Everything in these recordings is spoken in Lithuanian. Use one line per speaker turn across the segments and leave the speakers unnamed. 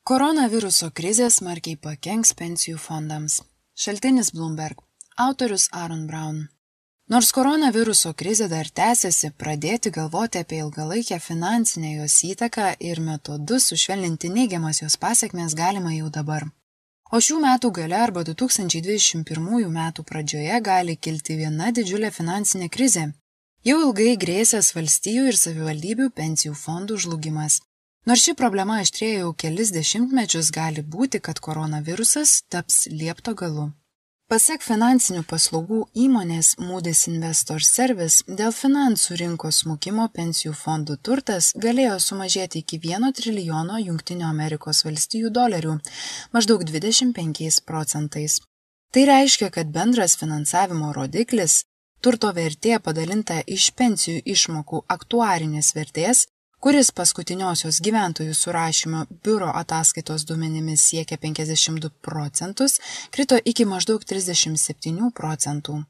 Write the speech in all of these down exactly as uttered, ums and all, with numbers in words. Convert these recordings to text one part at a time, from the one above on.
Koronaviruso krizė smarkiai pakenks pensijų fondams. Šaltinis Bloomberg. Autorius Aaron Brown. Nors koronaviruso krizė dar tęsiasi, pradėti galvoti apie ilgalaikę finansinę jos įtaką ir metodus sušvelninti neigiamas jos pasekmes galima jau dabar. O šių metų gale arba du tūkstančiai dvidešimt pirmųjų metų pradžioje gali kilti viena didžiulė finansinė krizė. Jau ilgai grėsęs valstijų ir savivaldybių pensijų fondų žlugimas. Nors ši problema aštrėja jau kelis dešimtmečius, gali būti, kad koronavirusas taps liepto galu. Pasak finansinių paslaugų įmonės Moody's Investors Service, dėl finansų rinkos smukimo pensijų fondų turtas galėjo sumažėti iki vieno trilijono Jungtinių Amerikos valstijų dolerių, maždaug dvidešimt penkiais procentais. Tai reiškia, kad bendras finansavimo rodiklis, turto vertė padalinta iš pensijų išmokų aktuarinės vertės, kuris paskutiniosios gyventojų surašymo biuro ataskaitos duomenimis siekia penkiasdešimt du procentus, krito iki maždaug trisdešimt septynių procentų.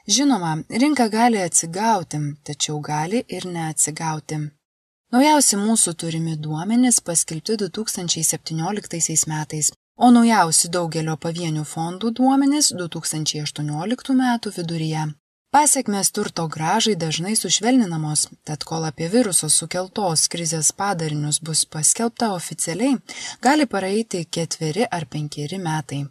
Žinoma, rinka gali atsigauti, tačiau gali ir neatsigauti. Naujausi mūsų turimi duomenys paskelbti du tūkstančiai septynioliktaisiais metais, o naujausi daugelio pavienių fondų duomenys du tūkstančiai aštuonioliktų metų viduryje. Pasekmės turto grąžai dažnai sušvelninamos, tad kol apie viruso sukeltos krizės padarinius bus paskelbta oficialiai, gali praeiti ketveri ar penkeri metai.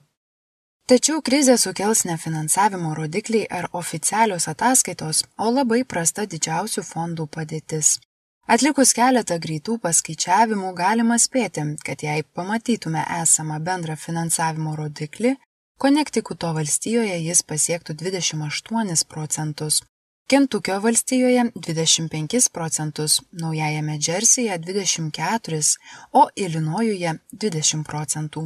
Tačiau krizę sukels ne finansavimo rodikliai ar oficialios ataskaitos, o labai prasta didžiausių fondų padėtis. Atlikus keletą greitų paskaičiavimų galima spėti, kad jei pamatytume esamą bendrą finansavimo rodiklį, Konektikuto valstijoje jis pasiektų dvidešimt aštuonis procentus, Kentukio valstijoje dvidešimt penkis procentus, Naujajame Džersyje dvidešimt keturis, o Ilinojuje dvidešimt procentų.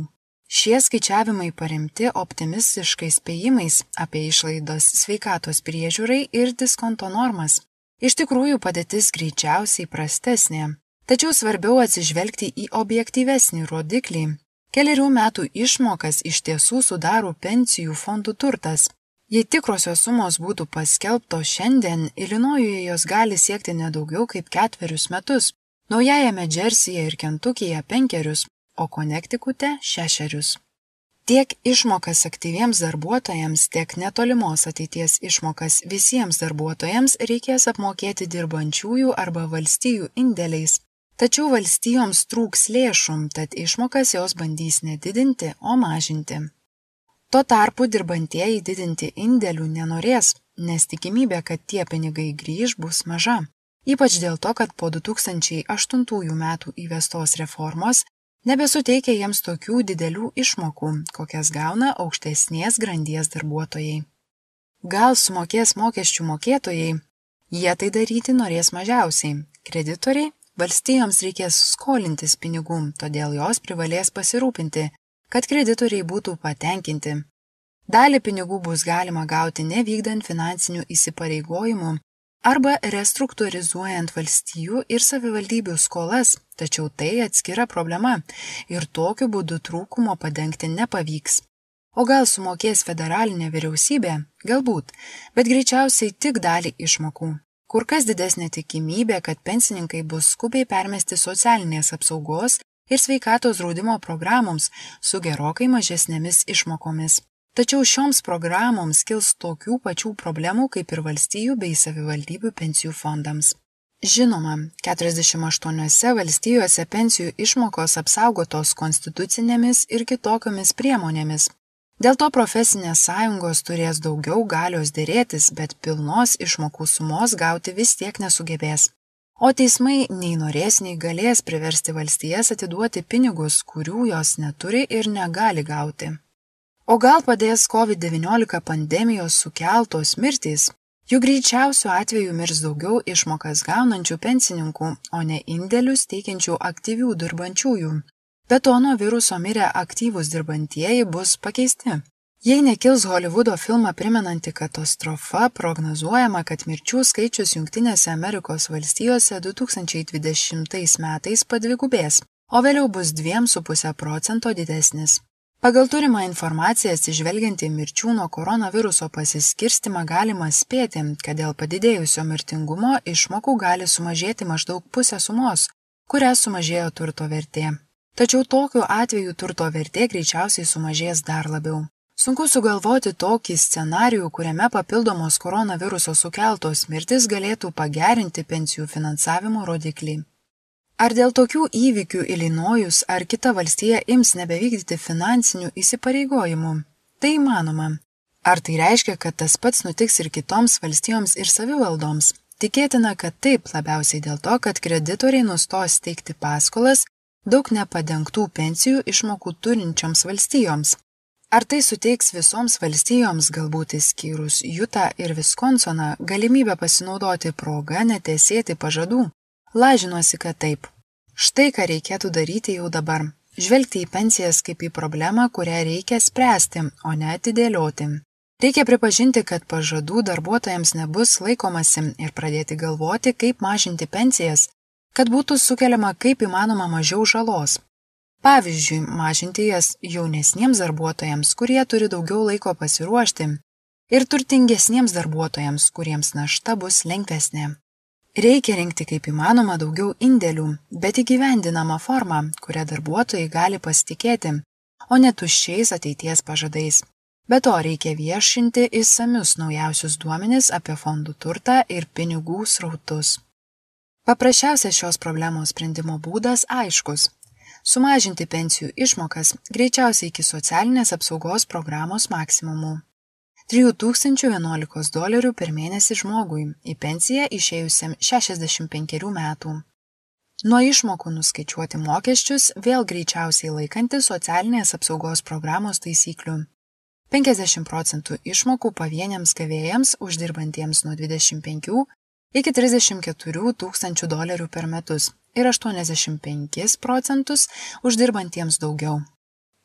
Šie skaičiavimai paremti optimistiškais spėjimais apie išlaidas sveikatos priežiūrai ir diskonto normas. Iš tikrųjų padėtis greičiausiai prastesnė, tačiau svarbiau atsižvelgti į objektyvesnį rodiklį. Kelerių metų išmokas iš tiesų sudaro pensijų fondų turtas. Jei tikrosios sumos būtų paskelbtos šiandien, Ilinojuje jos gali siekti nedaugiau kaip ketverius metus, Naujajame Džersyje ir Kentukyje penkerius, o Konektikute šešerius. Tiek išmokas aktyviems darbuotojams, tiek netolimos ateities išmokas visiems darbuotojams reikės apmokėti dirbančiųjų arba valstijų indėliais. Tačiau valstijoms trūks lėšų, tad išmokas jos bandys nedidinti, o mažinti. Tuo tarpu dirbantieji didinti indėlių nenorės, nes tikimybė, kad tie pinigai grįž, bus maža. Ypač dėl to, kad po du tūkstančiai aštuntųjų metų įvestos reformos nebesuteikia jiems tokių didelių išmokų, kokias gauna aukštesnės grandies darbuotojai. Gal sumokės mokesčių mokėtojai? Jie tai daryti norės mažiausiai. Kreditoriai? Valstijoms reikės skolintis pinigų, todėl jos privalės pasirūpinti, kad kreditoriai būtų patenkinti. Dalį pinigų bus galima gauti nevykdant finansinių įsipareigojimų arba restruktūrizuojant valstijų ir savivaldybių skolas, tačiau tai atskira problema ir tokiu būdu trūkumo padengti nepavyks. O gal sumokės federalinė vyriausybė? Galbūt, bet greičiausiai tik dalį išmokų. Kur kas didesnė tikimybė, kad pensininkai bus skubiai permesti socialinės apsaugos ir sveikatos draudimo programoms su gerokai mažesnėmis išmokomis. Tačiau šioms programoms kils tokių pačių problemų kaip ir valstijų bei savivaldybių pensijų fondams. Žinoma, keturiasdešimt aštuoniose valstijose pensijų išmokos apsaugotos konstitucinėmis ir kitokiomis priemonėmis. Dėl to profesinės sąjungos turės daugiau galios dėrėtis, bet pilnos išmokų sumos gauti vis tiek nesugebės. O teismai nei norės, nei galės priversti valstijas atiduoti pinigus, kurių jos neturi ir negali gauti. O gal padės COVID devyniolika pandemijos sukeltos mirtys? Juk greičiausiu atveju mirs daugiau išmokas gaunančių pensininkų, o ne indėlius teikiančių aktyvių dirbančiųjų. Be to nuo viruso mirę aktyvūs dirbantieji bus pakeisti. Jei nekils Holivudo filmą primenanti katastrofa, prognozuojama, kad mirčių skaičius Jungtinėse Amerikos valstijose du tūkstančiai dvidešimtais metais padvigubės, o vėliau bus dviem su puse procento didesnis. Pagal turimą informaciją atsižvelgiant į mirčių nuo koronaviruso pasiskirstimą galima spėti, kad dėl padidėjusio mirtingumo išmokų gali sumažėti maždaug pusę sumos, kuria sumažėjo turto vertė. Tačiau tokiu atveju turto vertė greičiausiai sumažės dar labiau. Sunku sugalvoti tokį scenarijų, kuriame papildomos koronaviruso sukeltos mirtis galėtų pagerinti pensijų finansavimo rodiklį. Ar dėl tokių įvykių Ilinojus ar kita valstija ims nebevykdyti finansinių įsipareigojimų? Tai įmanoma. Ar tai reiškia, kad tas pats nutiks ir kitoms valstijoms ir savivaldoms? Tikėtina, kad taip, labiausiai dėl to, kad kreditoriai nustos teikti paskolas daug nepadengtų pensijų išmokų turinčioms valstijoms. Ar tai suteiks visoms valstijoms, galbūt išskyrus Jutą ir Viskonsoną, galimybę pasinaudoti progą netesėti pažadų? Lažinuosi, kad taip. Štai ką reikėtų daryti jau dabar. Žvelgti į pensijas kaip į problemą, kurią reikia spręsti, o ne atidėlioti. Reikia pripažinti, kad pažadų darbuotojams nebus laikomasi ir pradėti galvoti, kaip mažinti pensijas, kad būtų sukeliama kaip įmanoma mažiau žalos. Pavyzdžiui, mažinti jas jaunesniems darbuotojams, kurie turi daugiau laiko pasiruošti, ir turtingesniems darbuotojams, kuriems našta bus lengvesnė. Reikia rinkti kaip įmanoma daugiau indėlių, bet įgyvendinamą formą, kurią darbuotojai gali pasitikėti, o ne tuščiais ateities pažadais. Be to reikia viešinti išsamius naujausius duomenis apie fondų turtą ir pinigų srautus. Paprasčiausias šios problemos sprendimo būdas aiškus – sumažinti pensijų išmokas greičiausiai iki socialinės apsaugos programos maksimumų. trijų tūkstančių vienuolikos dolerių per mėnesį žmogui, į pensiją išėjusiam šešiasdešimt penkerių metų. Nuo išmokų nuskaičiuoti mokesčius vėl greičiausiai laikantis socialinės apsaugos programos taisyklių. penkiasdešimt procentų išmokų pavieniams gavėjams uždirbantiems nuo dvidešimt penkių iki trisdešimt keturių tūkstančių dolerių per metus ir aštuoniasdešimt penkis procentus uždirbantiems daugiau.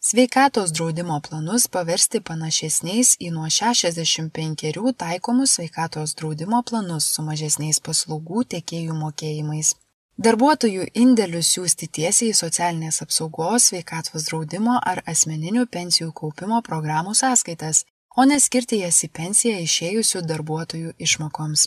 Sveikatos draudimo planus paversti panašesniais į nuo šešiasdešimt penkerių taikomus sveikatos draudimo planus su mažesniais paslaugų tiekėjų mokėjimais. Darbuotojų indėlius siųsti tiesiai į socialinės apsaugos, sveikatos draudimo ar asmeninių pensijų kaupimo programų sąskaitas, o neskirti jas į pensiją išėjusių darbuotojų išmokoms.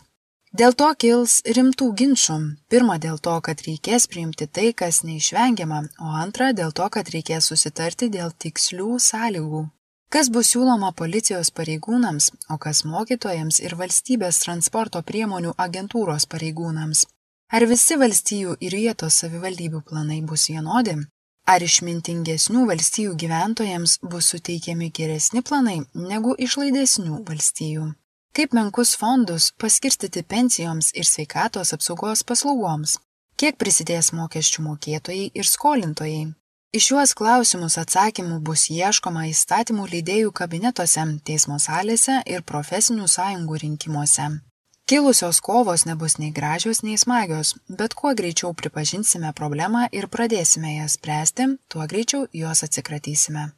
Dėl to kils rimtų ginčų. Pirma, dėl to, kad reikės priimti tai, kas neišvengiama, o antra, dėl to, kad reikės susitarti dėl tikslių sąlygų. Kas bus siūloma policijos pareigūnams, o kas mokytojams ir valstybės transporto priemonių agentūros pareigūnams? Ar visi valstijų ir vietos savivaldybių planai bus vienodi? Ar išmintingesnių valstijų gyventojams bus suteikiami geresni planai negu išlaidesnių valstijų? Kaip menkus fondus paskirstyti pensijoms ir sveikatos apsaugos paslaugoms? Kiek prisidės mokesčių mokėtojai ir skolintojai? Į šiuos klausimus atsakymų bus ieškoma įstatymų leidėjų kabinetuose, teismo salėse ir profesinių sąjungų rinkimuose. Kilusios kovos nebus nei gražios, nei smagios, bet kuo greičiau pripažinsime problemą ir pradėsime ją spręsti, tuo greičiau jos atsikratysime.